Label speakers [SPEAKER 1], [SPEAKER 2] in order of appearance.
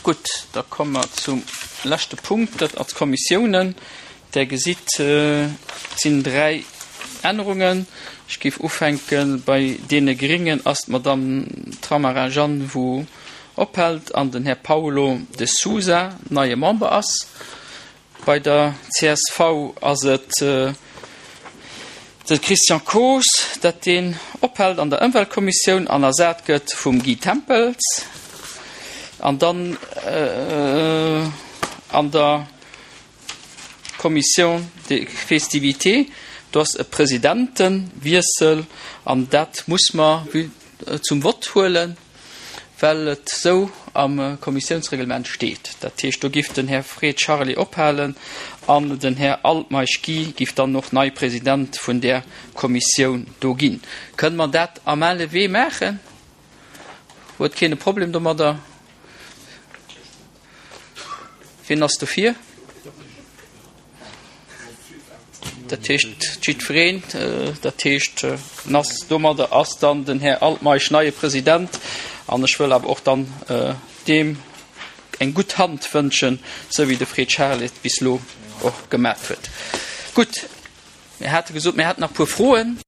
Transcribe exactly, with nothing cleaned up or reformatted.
[SPEAKER 1] Gutt, da komme mer zum leschte Punkt, dat ass d'Kommissiounen. Der gesitt, et sinn dräi Ännerungen. Ech géif ufänke bei deene Gringen, ass d'Madame Tramara Jeanne, wou ophält, an den Här Paulo de Sousa neie Member ass. Bei der csv ass et de Christian Koos, dat deen ophält an der Ëmweltkommissioun an ersat gëtt vum Guy Tempels. An dann an der Commission des Festivités, do ass e Presidentewiessel an dat muss mer zum Vott huelen, well et esou am Kommissiounsreglement steet. Dat heescht, do giff den Här Fred Charlé ophalen an den Här Altmeisch Guy giff dann och nei President vun där Kommissioun do ginn. Kënne mer dat à main levée maachen? Huet keen e Problem domadder? Wien ass dofir? Dat heescht jiddwereen. Dat heescht, ass domadder ass dann den Här Altmeisch neie President. An ech wëll awer och dann deem eng gutt Hand wënschen, esou wéi de Fred Charel et bis elo och gemat huet. Gutt, mir hate gesot, mir hätten nach e puer Froen.